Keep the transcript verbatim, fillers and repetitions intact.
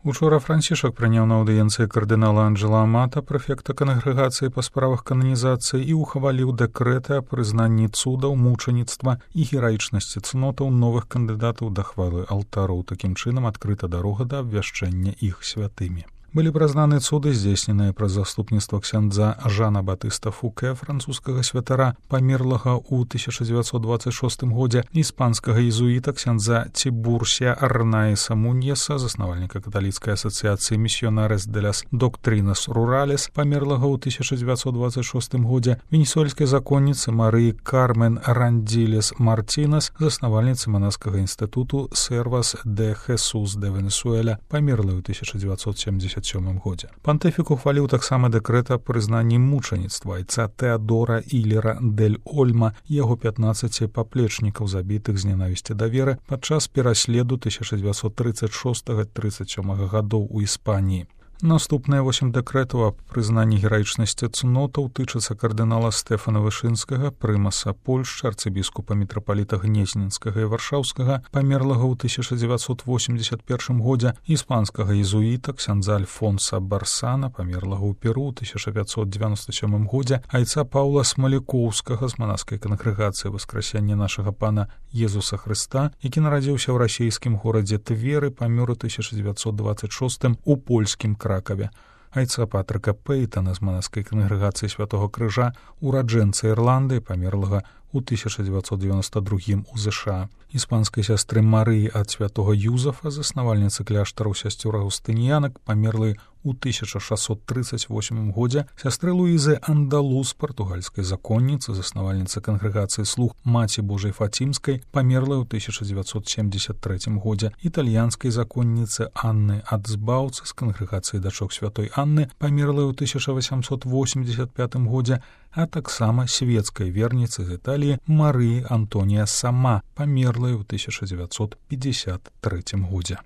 Учора Францішак прыняў на аўдыенцыі кардынала Анджела Амата, прэфекта кангрэгацыі па справах кананізацыі, і ухваліў дэкрэты аб прызнанні цудаў, мучаніцтва і гераічнасці цнотаў новых кандыдатаў да хвалы алтароў. Такім чынам адкрыта дарога да абвяшчэння іх святымі. Былі прызнаны цуды, здзейсненыя праз заступніцтва ксяндза Жана Батыста Фуке, французскага святара, памерлага ў тысяча дзевяцьсот дваццаць шостым годзе, іспанскага езуіта ксяндза Цібурсія Арнаіса Муньеса, заснавальніка каталіцкай асацыяцыі Місіонарес де лас Доктринас Руралес, памерлага ў тысяча дзевяцьсот дваццаць шостым годзе, венесуэльскай законніцы Марыі Кармен Рандзілес Мартінес, заснавальніцы манаскага інстытуту Сервас де Хесус де Венесуэля, памерлай у тысяча дзевяцьсот сямдзесят сёмым годзе. Пантыфік ухваліў таксама дэкрэт аб прызнанні мучаніцтва айца Тэадора Ілера дель Ольма і яго пятнаццаці паплечнікаў, забітых з нянавісці да веры падчас пераследу тысяча дзевяцьсот трыццаць шостага трыццаць сёмага гадоў у Іспаніі. Наступныя восем дэкрэтаў аб прызнанні гераічнасці цнотаў тычацца кардынала Стэфана Вышынскага, прымаса Польшчы, арцыбіскупа мітрапаліта Гнезненскага і Варшаўскага, памерлага ў тысяча дзевяцьсот восемьдесят першым годзе, іспанскага езуіта ксяндза Альфонса Барсана, памерлага ў Перу ў тысяча пятьсот девяносто сёмым годзе, айца Паўла Смалікоўскага з манаскай кангрэгацыі Васкрасення нашага пана Езуса Хрыста, які нарадзіўся ў расійскім горадзе Тверы, памёр у тысяча дзевяцьсот дваццаць шостым у польскім Кракаве. Айца Патрыка Пейтана з манаскай кангрэгацыі Святого Крыжа, ураджэнца Ірландыі, памерлага у тысяча дзевяцьсот девяносто другім у ЗША. Іспанскай сястры Марыі ад святого Юзафа, заснавальніцы кляштараў сясцёр аўгустыніянак, памерлай у тысяча шасцьсот трыццаць восьмым годзе, сястры Луізы Андалус, партугальскай законніцы, заснавальніцы кангрэгацыі Слуг Маці Божай Фацімскай, памерлай у тысяча дзевяцьсот семьдесят трэцім годзе, італьянскай законніцы Анны Ацбаўцы з кангрэгацыі дачок святой Анны, памерлай у тысяча васямсот восемьдесят пятым годзе, а таксама свецкай верніцы з Італіі Марыі Антонія Сама, памерлай у тысяча дзевяцьсот пятьдесят трэцім годзе.